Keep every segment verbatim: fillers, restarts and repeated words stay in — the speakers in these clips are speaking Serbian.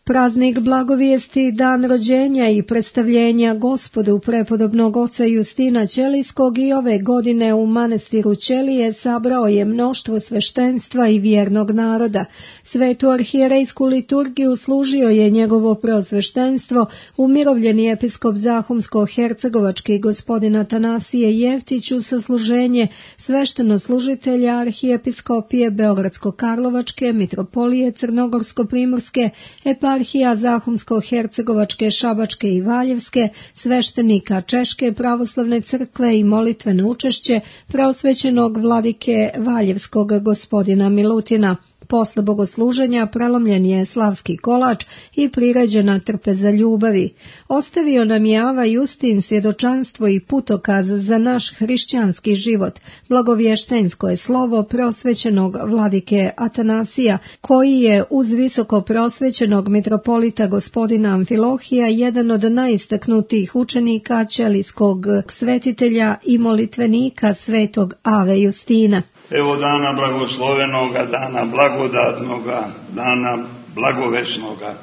Praznik blagovijesti, dan rođenja i predstavljenja Gospodu prepodobnog oca Justina Ćelijskog i ove godine u manastiru Ćelije sabrao je mnoštvo sveštenstva i vjernog naroda. Svetu arhijerejsku liturgiju služio je njegovo preosveštenstvo, umirovljeni episkop Zahumsko-hercegovački gospodin Atanasije Jeftić u sasluženje sveštenoslужitelja arhijepiskopije Beogradsko-Karlovačke, mitropolije Crnogorsko-primorske, eparhija Zahumsko-hercegovačke, Šabačke i Valjevske, sveštenika Češke pravoslavne crkve i molitveno učešće preosvećenog vladike Valjevskog gospodina Milutina. Posle bogosluženja prelomljen je slavski kolač i priređena trpeza ljubavi. Ostavio nam je Ava Justin svjedočanstvo i putokaz za naš hrišćanski život. Blagovještensko je slovo preosvećenog vladike Atanasija, koji je uz visoko preosvećenog mitropolita gospodina Amfilohija jedan od najistaknutijih učenika ćelijskog svetitelja i molitvenika svetog Ave Justina. Evo dana blagoslovenoga, dana blagodatnoga, dana blagovesnoga,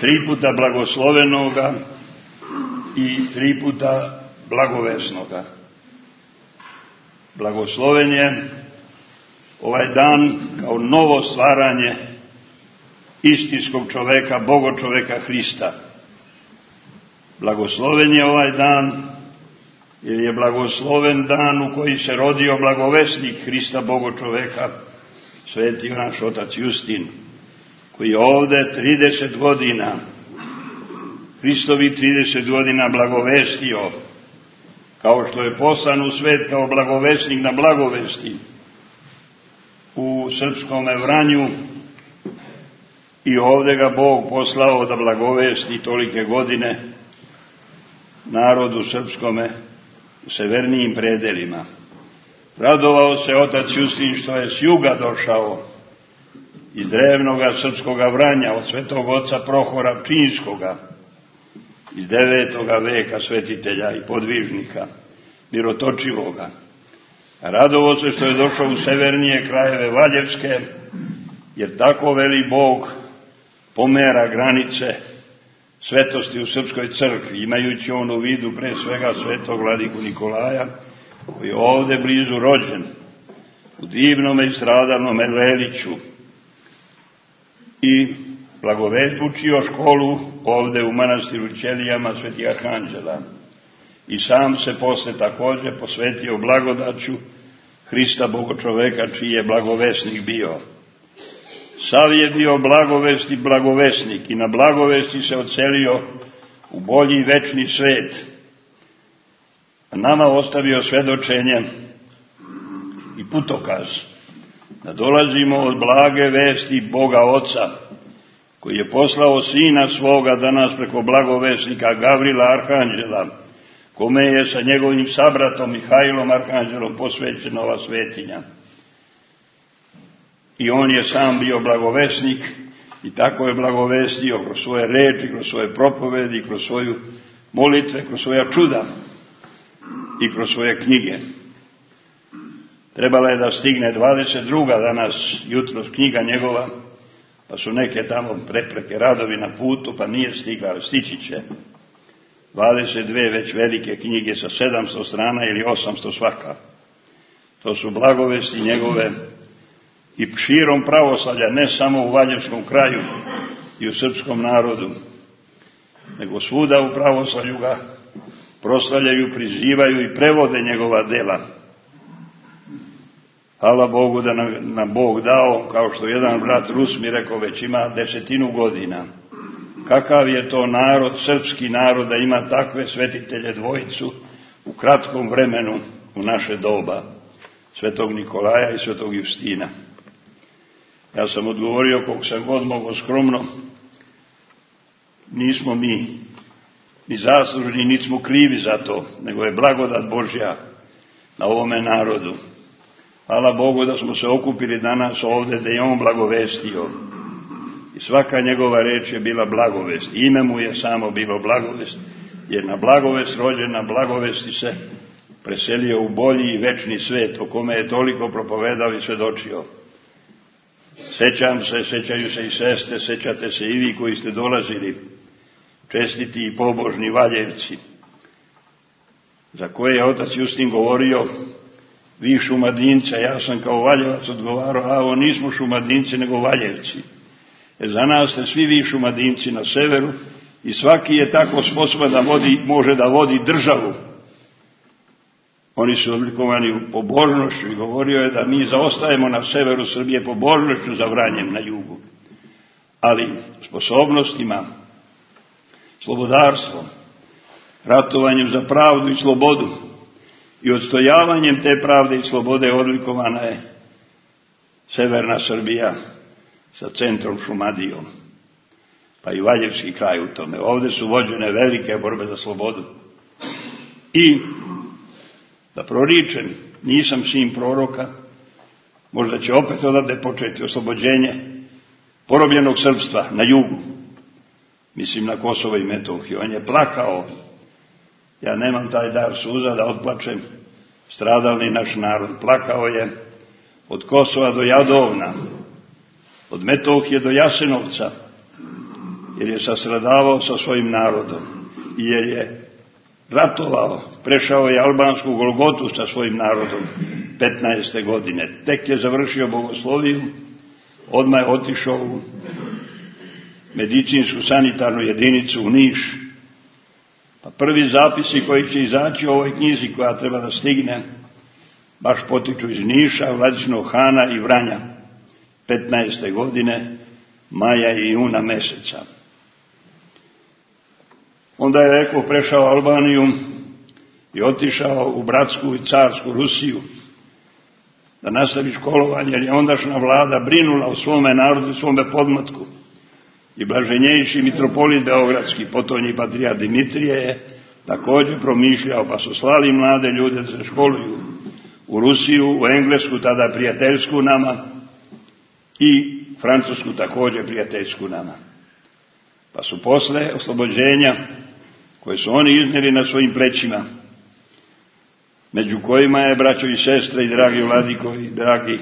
tri puta blagoslovenoga i tri puta blagovesnoga. Blagosloven je ovaj dan kao novo stvaranje istinskog čoveka, bogočoveka Hrista. Blagosloven je ovaj dan jer je blagosloven dan u koji se rodio blagovesnik Hrista Bogočoveka, sveti naš otac Justin, koji je ovde trideset godina, Hristovi trideset godina blagovestio, kao što je poslan u svet kao blagovesnik na blagovesti u srpskom Vranju, i ovde ga Bog poslao da blagovesti tolike godine narodu srpskome u severnijim predelima. Radovao se otac Justin što je s juga došao, iz drevnoga srpskoga Vranja, od svetog oca Prohora Pčinjskoga, iz devetoga veka svetitelja i podvižnika, mirotočivoga. Radovao se što je došao u severnije krajeve Valjevske, jer tako veli Bog pomera granice svetosti u srpskoj crkvi, imajući on u vidu pre svega svetog vladiku Nikolaja, koji je ovde blizu rođen, u divnom i stradalnom Leliću, i blagovećio školu ovde u manastiru Ćelijama Svetih Arhanđela. I sam se posle takođe posvetio blagodaću Hrista Bogočoveka, čiji je blagovesnik bio. Sav je bio blagovesti blagovesnik i na blagovesti se odselio u bolji i večni svet. A nama ostavio svedočenje i putokaz da dolazimo od blage vesti Boga Oca, koji je poslao Sina svoga da nas preko blagovesnika Gavrila Arhanđela, kome je sa njegovim sabratom Mihajlom Arhanđelom posvećena ova svetinja. I on je sam bio blagovesnik i tako je blagovestio kroz svoje reči, kroz svoje propovedi, kroz svoju molitve, kroz svoja čuda i kroz svoje knjige. Trebala je da stigne dvadeset druga danas, jutros, knjiga njegova, pa su neke tamo prepreke, radovi na putu, pa nije stigla, ali stići će. dvadeset dve već velike knjige sa sedamsto strana ili osamsto svaka. To su blagovesti njegove i širom pravoslavlja, ne samo u Valjevskom kraju i u srpskom narodu, nego svuda u pravoslavlju ga proslavljaju, prizivaju i prevode njegova dela. Hvala Bogu da nam, nam Bog dao, kao što jedan brat Rus mi rekao, već ima desetinu godina. Kakav je to narod, srpski narod, da ima takve svetitelje dvojicu u kratkom vremenu u naše doba, svetog Nikolaja i svetog Justina. Ja sam odgovorio koliko sam god mogo skromno, nismo mi ni zaslužni, niti smo krivi za to, nego je blagodat Božja na ovome narodu. Hvala Bogu da smo se okupili danas ovde, da je on blagovestio. I svaka njegova reč je bila blagovest. Ime mu je samo bilo blagovest, jer na blagovest rođen, na blagovesti se preselio u bolji i večni svet, o kome je toliko propovedao i svedočio. Sećam se, sećaju se i sestre, sećate se i vi koji ste dolazili, čestiti i pobožni Valjevci, za koje je otac Justin govorio, vi Šumadinca, ja sam kao Valjevac odgovarao, a ovo nismo Šumadinci nego Valjevci. E za nas ste svi vi Šumadinci na severu i svaki je tako sposoban da vodi, može da vodi državu. Oni su odlikovani u pobožnošću i govorio je da mi zaostajemo na severu Srbije pobožnošću za Vranjem na jugu. Ali sposobnostima, slobodarstvom, ratovanjem za pravdu i slobodu i odstojavanjem te pravde i slobode odlikovana je severna Srbija sa centrom Šumadijom, pa i Valjevski kraj u tome. Ovdje su vođene velike borbe za slobodu. I da proričem, nisam sin proroka, možda će opet odavde početi oslobođenje porobljenog srpstva na jugu, mislim na Kosovo i Metohiju. On je plakao, ja nemam taj dar suza da otplačem stradalni naš narod. Plakao je od Kosova do Jadovna, od Metohije do Jasenovca, jer je sastradavao sa svojim narodom i jer je ratovao, prešao je albansku Golgotu sa svojim narodom petnaeste godine. Tek je završio bogosloviju, odmah je otišao u medicinsku sanitarnu jedinicu u Niš. Pa prvi zapisi koji će izaći u ovoj knjizi koja treba da stigne, baš potiču iz Niša, Vladičinog Hana i Vranja, petnaeste godine, maja i juna meseca. Onda je rekao, prešao Albaniju i otišao u bratsku i carsku Rusiju da nastavi školovanje, jer je ondašnja vlada brinula o svome narodu i svome podmlatku. I blaženjejši mitropolit beogradski, potonji patrijarh Dimitrije, je također promišljao, pa su slali mlade ljude da se školuju u Rusiju, u Englesku, tada prijateljsku nama, i Francusku također prijateljsku nama. Pa su posle oslobođenja, koje su oni iznijeli na svojim plećima, među kojima je, braćo i sestre i dragi vladikovi, dragi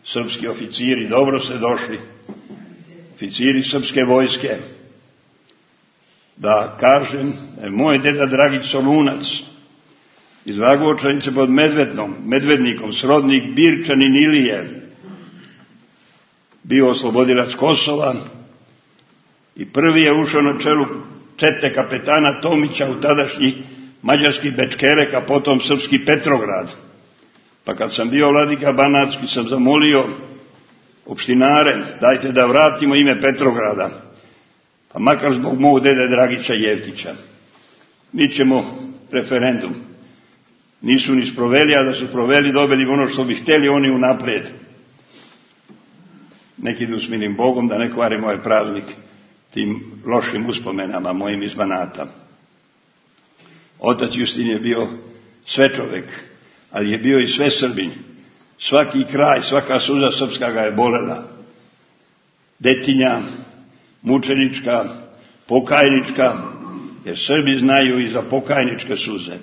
srpski oficiri, dobro ste došli, oficiri srpske vojske, da kažem, moj deda Dragić Solunac iz Vagočanice pod Medvednom, Medvednikom, srodnik Birčanin Ilije, bio oslobodilac Kosova i prvi je ušao na čelu čete kapetana Tomića u tadašnji mađarski Bečkerek, a potom srpski Petrograd. Pa kad sam bio vladika Banatski, sam zamolio opštinare, dajte da vratimo ime Petrograda, pa makar zbog mog dede Dragića Jevtića. Mi ćemo referendum. Nisu ni sproveli, a da su proveli, dobili ono što bi htjeli oni unaprijed. Nek idu s milim Bogom, da ne kvari moj praznik tim lošim uspomenama mojim iz Banata. Otac Justin je bio sve čovek, ali je bio i sve Srbin. Svaki kraj, svaka suza srpska ga je bolela. Detinja, mučenička, pokajnička, jer Srbi znaju i za pokajničke suze.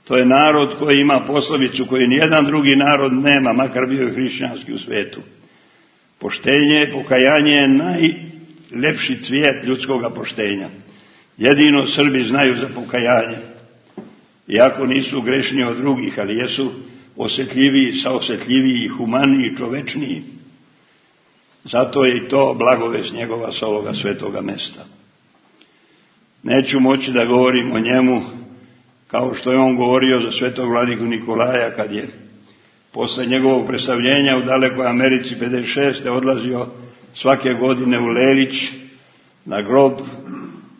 To je narod koji ima poslovicu koju nijedan drugi narod nema, makar bio i hrišćanski u svetu. Poštenje, pokajanje je najlepši cvijet ljudskoga poštenja. Jedino Srbi znaju za pokajanje. Iako nisu grešniji od drugih, ali jesu osjetljiviji, saosjetljiviji, humaniji, čovečniji. Zato je i to blagovest njegova sa ovoga svetoga mesta. Neću moći da govorim o njemu kao što je on govorio za svetog vladiku Nikolaja kad je posle njegovog predstavljenja u dalekoj Americi pedeset šeste odlazio svake godine u Lelić na grob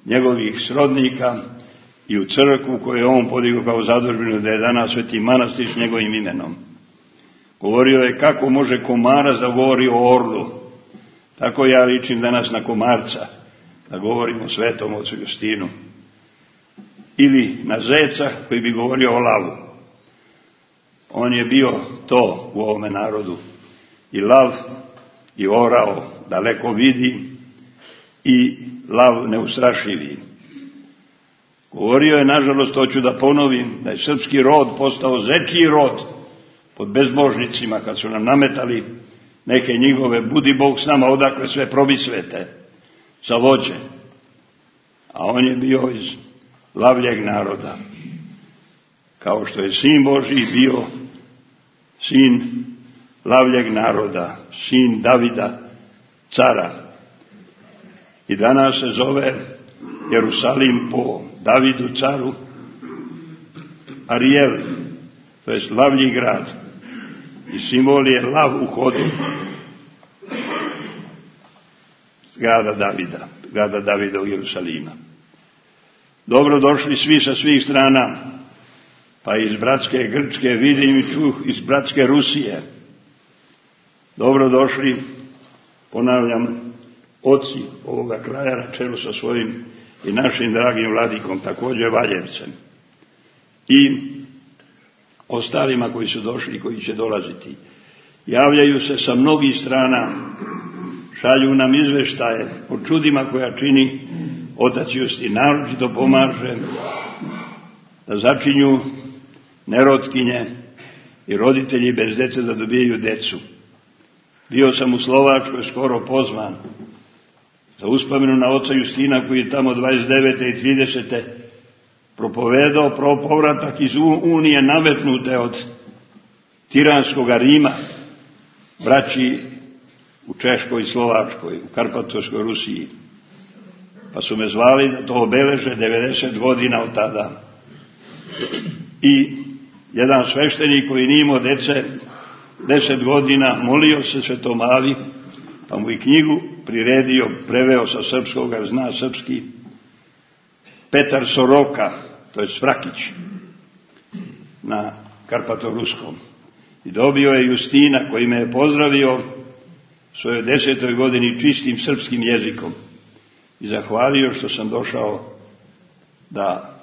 njegovih srodnika i u crkvu koju je on podigao kao zadužbinu, da je danas Sveti manastir s njegovim imenom. Govorio je kako može komarac da govori o orlu. Tako ja ličim danas na komarca, da govorim o svetom ocu Justinu. Ili na zeca koji bi govorio o lavu. On je bio to u ovome narodu. I lav, i orao, daleko vidi, i lav neustrašivi. Govorio je, nažalost, hoću da ponovim, da je srpski rod postao zečiji rod pod bezbožnicima kad su nam nametali neke njihove budi Bog s nama odakle sve probisvete za vođe. A on je bio iz lavljeg naroda. Kao što je sin Božji bio sin lavljeg naroda, sin Davida, cara. I danas se zove Jerusalim po Davidu caru Arijel, to je lavlji grad. I simbol je lav u hodu grada Davida, grada Davida u Jerusalima. Dobro došli svi sa svih strana, pa iz bratske Grčke, vidim i čuh iz bratske Rusije. Dobro došli, ponavljam, oci ovoga kraja na čelu sa svojim i našim dragim vladikom, također Valjevcem. I ostalima koji su došli i koji će dolaziti. Javljaju se sa mnogih strana, šalju nam izveštaje o čudima koja čini otac Justin. Naročito pomaže da začinju nerotkinje i roditelji bez dece da dobijaju decu. Bio sam u Slovačkoj skoro pozvan za uspomenu na oca Justina koji je tamo dvadeset devete i tridesete propovedao pro povratak iz Unije nametnute od tiranskog Rima, braći u Češkoj i Slovačkoj, u Karpatovskoj Rusiji. Pa su me zvali da to obeleže devedeset godina od tada. I jedan sveštenik koji nije imao dece deset godina molio se Svetom Avi, pa mu i knjigu priredio, preveo sa srpskog, jer zna srpski, Petar Soroka, to je Svrakić, na Karpatoruskom. I dobio je Justina koji me je pozdravio svojoj desetoj godini čistim srpskim jezikom i zahvalio što sam došao da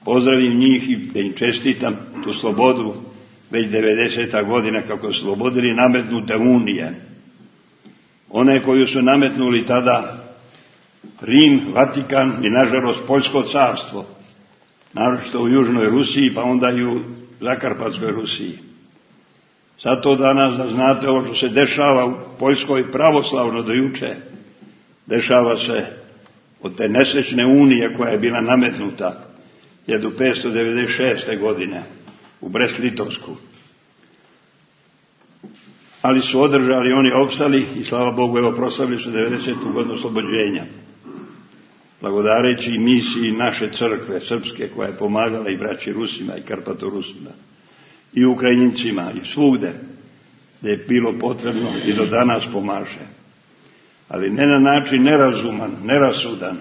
pozdravim njih i da im čestitam tu slobodu već devedeseta godina kako su slobodili nametnute unije. One koju su nametnuli tada Rim, Vatikan i nažalost Poljsko carstvo, naročito u Južnoj Rusiji pa onda i u Zakarpatskoj Rusiji. Zato danas da znate ovo što se dešava u Poljskoj pravoslavno do juče, dešava se od te nesrećne unije koja je bila nametnuta hiljadu petsto devedeset šeste. godine u Brest-Litovsku. Ali su održali, oni opstali i slava Bogu, evo proslavili su devedesetu godinu oslobođenja. Blagodareći misiji naše crkve srpske koja je pomagala i braći Rusima i Karpatorusima i Ukrajincima i svugde gdje je bilo potrebno i do danas pomaže. Ali ne na način nerazuman, nerasudan,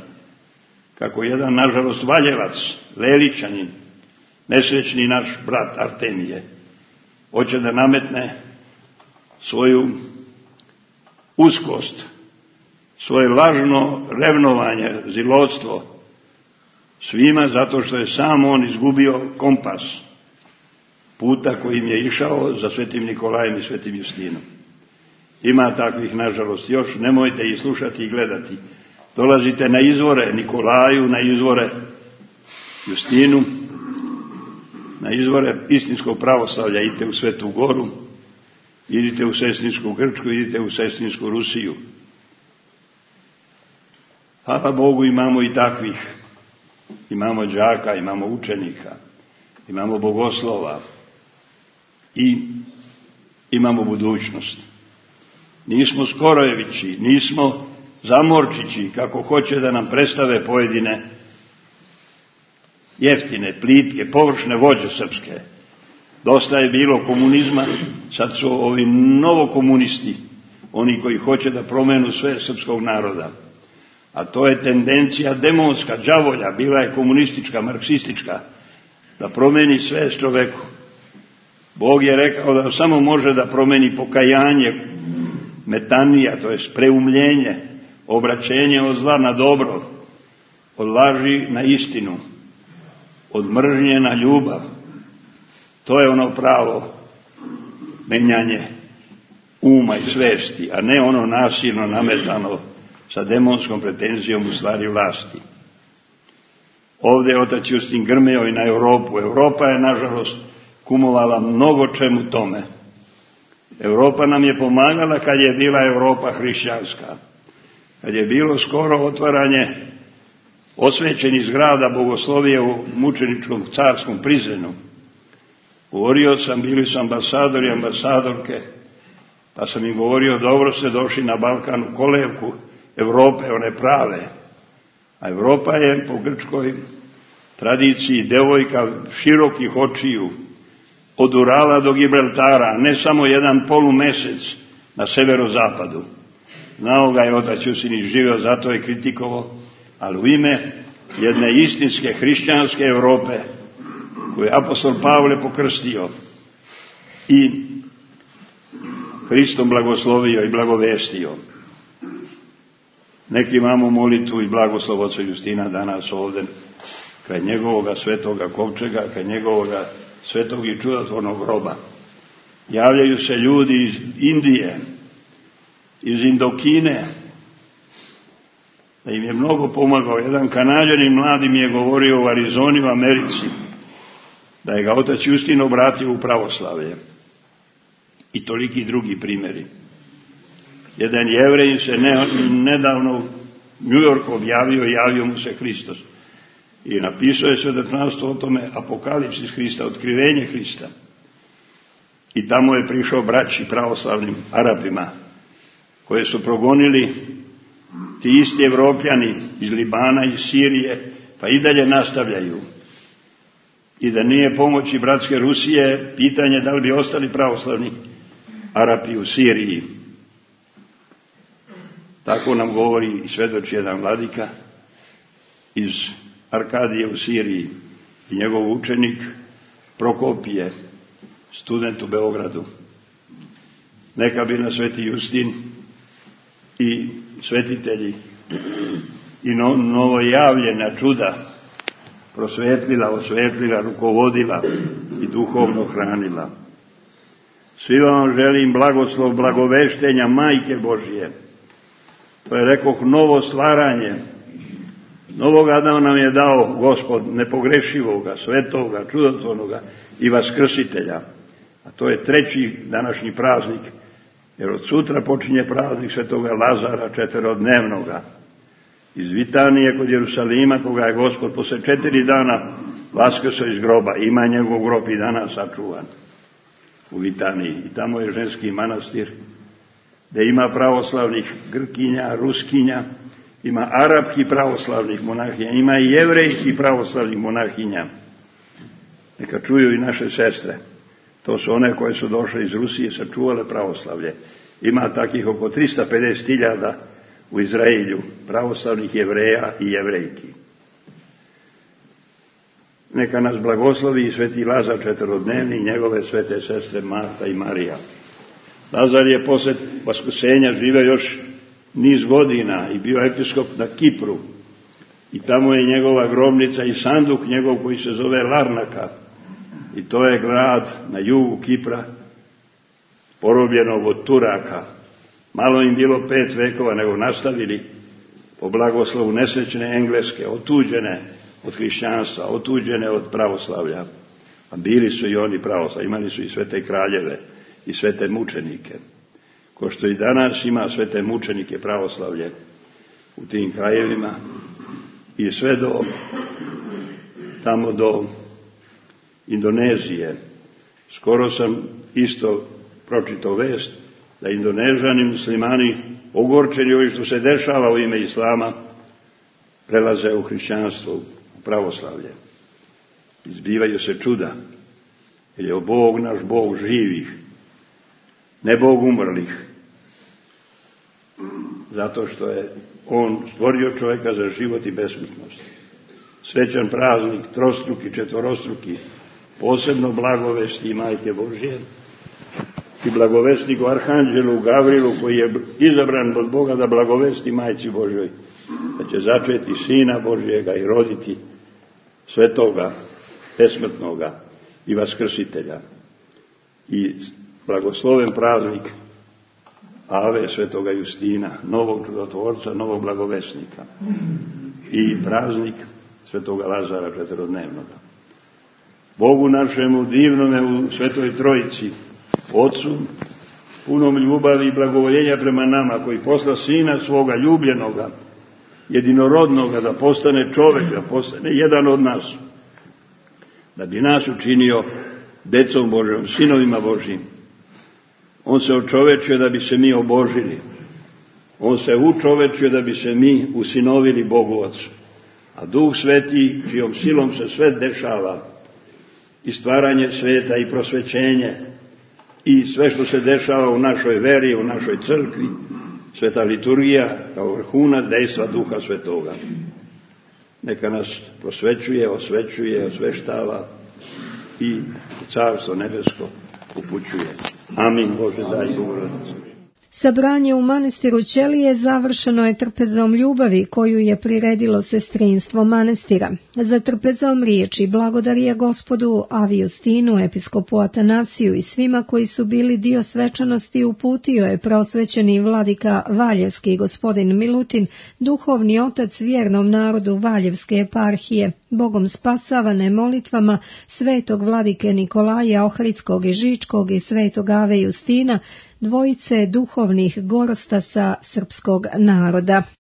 kako jedan, nažalost, Valjevac, Leličanin, nesrećni naš brat Artemije, hoće da nametne svoju uskost, svoje lažno revnovanje, zilotstvo svima zato što je sam on izgubio kompas puta kojim je išao za Svetim Nikolajem i Svetim Justinom. Ima takvih, nažalost, još, nemojte ih slušati i gledati. Dolazite na izvore Nikolaju, na izvore Justinu, na izvore istinskog pravoslavlja, idite u Svetu Goru, idite u Sesninsku Grčku, idite u Sesninsku Rusiju. Hvala Bogu, imamo i takvih. Imamo đaka, imamo učenika, imamo bogoslova i imamo budućnost. Nismo Skorojevići, nismo Zamorčići, kako hoće da nam predstave pojedine jeftine, plitke, površne vođe srpske. Dosta je bilo komunizma, sad su ovi novokomunisti, oni koji hoće da promenu sve srpskog naroda. A to je tendencija demonska, đavolja, bila je komunistička, marksistička, da promeni sve čoveku. Bog je rekao da samo može da promeni pokajanje, metanija, to je preumljenje, obraćenje od zla na dobro, od laži na istinu, od mržnje na ljubav. To je ono pravo menjanje uma i svesti, a ne ono nasilno nametano sa demonskom pretenzijom u stvari vlasti. Ovdje je otac Justin grmeo i na Europu. Europa je, nažalost, kumovala mnogo čemu tome. Europa nam je pomagala kad je bila Europa hrišćanska. Kad je bilo skoro otvaranje osvećenih zgrada bogoslovije u mučeničkom carskom prizrenu. Govorio sam, bili su ambasadori i ambasadorke, pa sam im govorio, dobro ste došli na Balkan u kolevku Europe, one prave. A Europa je po grčkoj tradiciji devojka širokih očiju, od Urala do Gibraltara, ne samo jedan polumesec na severozapadu. Znao ga je otac Justin, živeo, zato je kritikovao, ali u ime jedne istinske hrišćanske Europe, koju je apostol Pavle pokrstio i Hristom blagoslovio i blagovestio. Neki imamo molitvu i blagoslov oca Justina danas ovdje, kraj njegovoga svetoga kovčega, kraj njegovoga svetog i čudotvornog groba. Javljaju se ljudi iz Indije, iz Indokine, da im je mnogo pomagao. Jedan Kanađanin mladi mi je govorio u Arizoni u Americi, da je ga otac Justin obratio u pravoslavlje. I toliki drugi primjeri. Jedan Jevrej se ne, nedavno u New Yorku objavio i javio mu se Hristos. I napisao je svjedočanstvo o tome, Apokalipsis Hrista, otkrivenje Hrista. I tamo je prišao braći pravoslavnim Arapima, koje su progonili ti isti Evropljani iz Libana, iz Sirije, pa i dalje nastavljaju. I da nije pomoći bratske Rusije, pitanje da li bi ostali pravoslavni Arapi u Siriji. Tako nam govori i svedoči jedan vladika iz Arkadije u Siriji i njegov učenik Prokopije, student u Beogradu. Neka bi na sveti Justin i svetitelji i no, novojavljena čuda prosvetlila, osvetlila, rukovodila i duhovno hranila. Svima vam želim blagoslov blagoveštenja Majke Božije. To je, rekoh, novo stvaranje. Novog Adama nam je dao Gospod nepogrešivoga, svetoga, čudotvornoga i vaskrsitelja. A to je treći današnji praznik, jer od sutra počinje praznik svetoga Lazara četverodnevnoga. Iz Vitanije kod Jerusalima, koga je Gospod posle četiri dana vaskrsao iz groba. Ima njegov grob i danas sačuvan u Vitaniji. I tamo je ženski manastir, gdje ima pravoslavnih Grkinja, Ruskinja, ima arapskih pravoslavnih monahinja, ima i jevrejskih pravoslavnih monahinja. Neka čuju i naše sestre. To su one koje su došle iz Rusije, sačuvale pravoslavlje. Ima takih oko tristo pedeset hiljada u Izraelju pravoslavnih Jevreja i Jevrejki. Neka nas blagoslovi i sveti Lazar četverodnevni i njegove svete sestre Marta i Marija. Lazar je posle vaskrsenja živeo još niz godina i bio episkop na Kipru. I tamo je njegova grobnica i sanduk njegov koji se zove Larnaka. I to je grad na jugu Kipra, porobljenog od Turaka. Malo im bilo pet vekova, nego nastavili po blagoslovu nesrećne Engleske, otuđene od hrišćanstva, otuđene od pravoslavlja. A bili su i oni pravoslavlja, imali su i svete kraljeve i svete mučenike. Ko što i danas ima svete mučenike pravoslavlje u tim krajevima i sve do tamo do Indonezije. Skoro sam isto pročitao vest da Indonežani muslimani, ogorčeni ovim što se dešava u ime Islama, prelaze u hrišćanstvo, u pravoslavlje. Izbivaju se čuda, jer je Bog naš Bog živih, ne Bog umrlih. Zato što je On stvorio čovjeka za život i besmrtnost. Srećan praznik, trostruki, četvorostruki, posebno blagovesti Majke Božje i blagovestniku Arhanđelu Gavrilu, koji je izabran od Boga da blagovesti Majci Božjoj, da će začeti Sina Božjega i roditi svetoga, besmrtnoga i vaskrsitelja. I blagosloven praznik Ave svetoga Justina, novog čudotvorca, novog blagovesnika. I praznik svetoga Lazara četverodnevnoga. Bogu našemu divnome u Svetoj Trojici, Otcu punom ljubavi i blagovoljenja prema nama, koji posla Sina svoga ljubljenoga, jedinorodnoga, da postane čovjek, da postane jedan od nas, da bi nas učinio decom Božjom, sinovima Božjim. On se očovečio da bi se mi obožili. On se učovečio da bi se mi usinovili Bogu Otcu. A Duh Sveti, čijom silom se sve dešava, i stvaranje sveta i prosvećenje, i sve što se dešava u našoj veri, u našoj crkvi, sveta liturgija kao vrhunac dejstva Duha Svetoga. Neka nas prosvećuje, osvećuje, osveštava i Carstvo nebesko upućuje. Amin. Bože, daj Bogorodice. Sabranje u manastiru Ćelije završeno je trpezom ljubavi koju je priredilo sestrinstvo manastira. Za trpezom riječi blagodarija Gospodu Avi Justinu, episkopu Atanasiju i svima koji su bili dio svečanosti uputio je prosvećeni vladika Valjevski gospodin Milutin, duhovni otac vjernom narodu Valjevske eparhije, Bogom spasavane molitvama svetog vladike Nikolaja Ohridskog i Žičkog i svetog Ave Justina, dvojice duhovnih gorostasa srpskog naroda.